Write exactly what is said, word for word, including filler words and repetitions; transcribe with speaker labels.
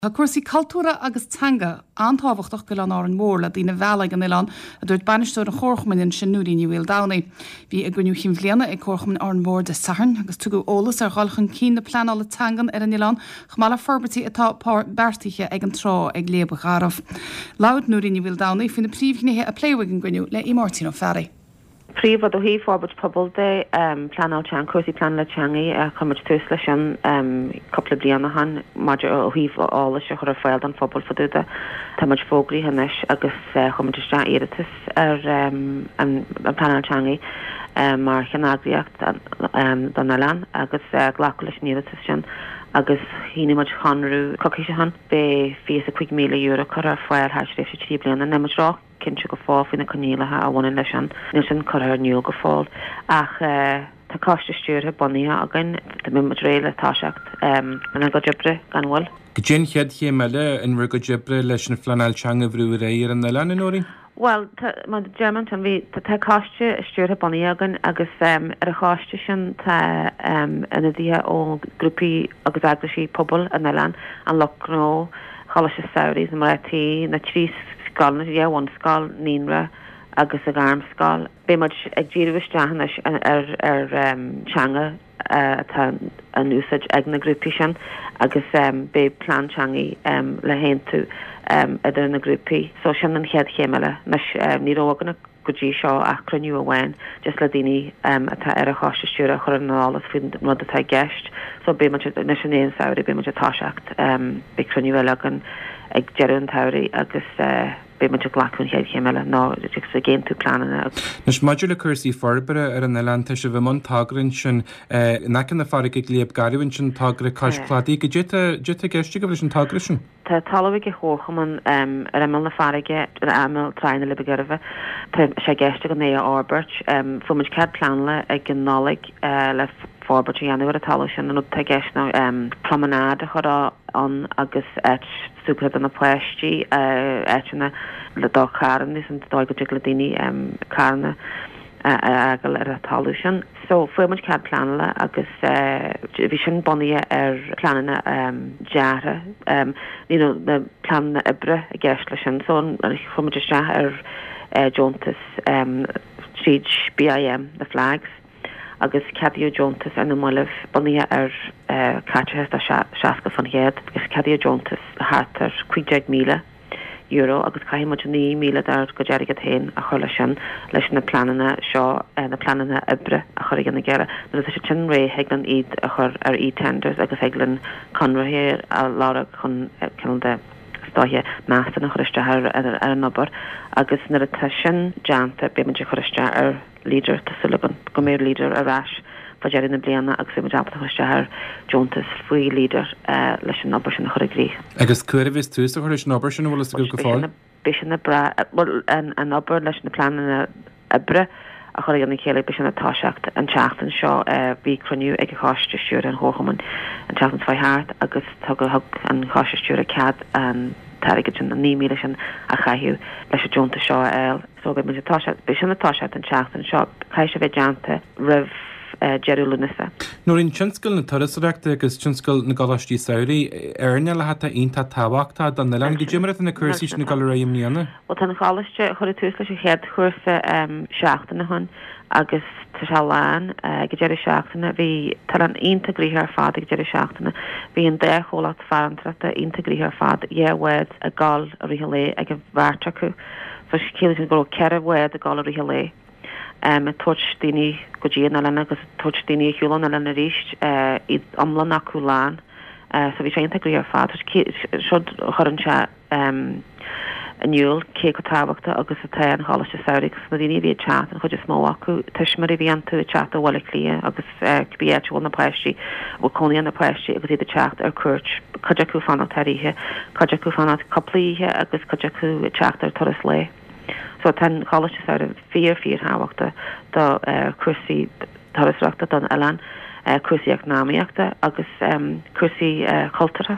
Speaker 1: Tá cúrsaí cultúrtha agus teanga an-tábhachtach go Oileán Árainn Mhór le daoine a mhealladh ag an oileán, a dúirt bainisteoir an Chomharchumainn ansin Nóirín Ní Mhaoldomhnaigh. Bhí a gcruinniú cinn bhliana ag Comharchumann Árainn Mhór Dé Sathairn agus tugadh eolas ar dhul chun cinn na pleanála teangan ar an oileán chomh maith le forbairtí atá beartaithe ag an trá ag Léaba Gharbh. Labhair Nóirín Ní Mhaoldomhnaigh faoi na príomhghnéithe a pléadh ag an gcruinniú le Máirtín Ó Fearraigh.
Speaker 2: Príomhrud ó thaobh forbairt pobail de pleanáil teanga cúrsaí pleanála teanga chuir muid tús leis sin cúpla bliain ó shin maidir ó thaobh eolais a chur ar fáil don phobal fá dtaobh de. Tá muid fógraithe anois agus chuir muid isteach iarratas ar an pleanáil teanga mar cheanneagraíocht don oileán agus glacadh leis an iarratas sin agus shínigh muid conradh coicís ó shin beidh fiche is a cúig míle euro curtha ar fáil thar tréimhse trí bliana níl muid ró cinnte go fóill faoi na coinníollacha a bhaineann leis sin níl sin curtha in iúl go fóill ach tá coiste stiúrtha bunaithe againn tá muid réidh le toiseacht ina gcuid oibre gan mhoill.
Speaker 3: Cad é an chéad chéim eile in bhur gcuid oibre leis an phleanáil teanga a bhrú ar aghaidh ar an oileán, a Nóirín?
Speaker 2: Well mar deir an bhí tá coiste stiúrtha bunaithe againn agus ar an choiste sin tá ionadaithe ó grúpaí agus eagraisí pobail an oileáin an lucht gnó Choláiste Samhraidh na mná na trí scoil na bhunscoil naíonra agus a ghairmscoil. Beidh muid ag díriú isteach anois ar ar teanga atá in úsáid ag na grúpaí sin agus beidh plean teanga le haontú idir na grúpaí. So sin an chéad chéim eile anois ní raibh againn go dtí seo ach cruinniú amháin just le daoine atá ar an choiste stiúrtha a chur ar an eolas faoin rud atá i gceist. So beidh muid anois in aon samhradh beidh muid ag toiseacht beidh cruinniú eile againn ag deireadh an tsamhraidh agus beidh muid ag glacadh an chéad chéim eile ná agus ag aontú pleananna.
Speaker 3: Anois maidir le cúrsaí forbartha ar an oileán tá sibh i mbun togra ansin in aice na farraige ag Léab Garbh ansin togra cois cladaigh cad é atá i gceist agaibh leis an togra sin.
Speaker 2: Tá talamh ag an Chomharchumann ar imeall na farraige ar imeall Trá na Leaba Gairbhe Tá sé i gceist againn é a fhorbairt. Fuair muid cead pleanála ag an Nollaig le forbairt a dhéanamh ar an talamh sin an rud atá i gceist ná promenade a chur ann agus áit súgartha do na páistí áiteanna le do charranna san dóigh go dtig le daoine carranna a fhágáil ar an talamh sin. So fuair muid cead pleanála agus bhí sin bunaithe ar pleananna deartha you know na pleananna oibre i gceist leis sin so chuir muid isteach ar deontas tríd BIM the flags agus ceadaíodh deontas ar na mallaibh bunaithe ar caiteachas de seasca faoin gcéad agus ceadaíodh deontas thart ar cúig déag míle euro agus caithfidh muid naoi míle dár gcuid airgead féin a chur leis sin leis na pleananna seo na pleananna oibre a chur ag an gcéile nuair atá siad sin réidh thig linn iad a chur ar e-tenders agus thig linn conraithe a lorg chun cineál de is dóiche measúnú a chur isteach ar ar an obair agus nuair atá sin déanta beidh muid ag cur isteach ar leader tá súil againn go mbeidh leader ar ais fá deireadh na bliana agus beidh muid ábalta chur isteach ar deontas faoi leader leis an obair sin a chur i gcrích.
Speaker 3: Agus cá huair a bheas tús á chur leis an obair sin an bhfuil a fhios agaibh go fóill?
Speaker 2: Beidh sin ag brath an an obair leis na pleananna oibre a chur ag an chéile beidh sin ag toiseacht an tseachtain seo bhí cruinniú ag an choiste stiúrtha an Chomharchumainn an tseachtain seo thart agus tugadh thug an choiste stiúrtha cead an t-airgead sin an naoi míle sin a chaitheamh leis an deontas seo a fháil. So beidh muid ag toiseacht beidh sin ag toiseacht an tseachtain seo caithfidh sé bheith déanta roimh deireadh Lúnasa.
Speaker 3: Nóirín, tionscal na turasóireachta agus tionscal na gcoláistí samhraidh, earnálacha atá iontach tábhachtach don oileán. Cad é mar atá na cúrsaí sin ag dul ar aghaidh i mbliana?
Speaker 2: Bhuel tá an choláiste cuireadh tús leis an chéad chúrsa seachtain ó shin agus tá sé lán ag an deireadh seachtaine. Bhí an t-oileán iontach gnoitheach ar fad ag an deireadh seachtaine. Bhí an dá chomhlacht farantóireachta iontach gnoitheach ar fad, dhá bhád ag gabháil i rith an lae ag an bheirt acu. So ciallaíonn sin go raibh ceithre bhád ag gabháil i rith an lae. Um, ag tabhairt daoine go dtí an oileán agus tabhairt daoine ar shiúl ón oileán arís iad iomlán acu lán. Uh, so bhí sé iontach gnoitheach ar fad. Seo chuireann sé um, in iúl cé chomh tábhachtach agus atá an choláiste samhraidh agus na daoine a bhí ag teacht an chuid is mó acu tuismitheoirí a bhí iontu ag teacht ó Bhaile Átha Cliath agus cibé áit a bhfuil na páistí bhfuil cónaí na páistí agus iad ag teacht ar cuairt cuid acu fanacht thar oíche, cuid acu fanacht cúpla oíche agus cuid acu ag teacht ar turas lae. So tá an choláiste samhraidh fíor fíorthábhachtach do uh, cúrsaí turasóireachta don oileán, uh, cúrsaí eacnamaíochta agus um, cúrsaí uh, cultúrtha.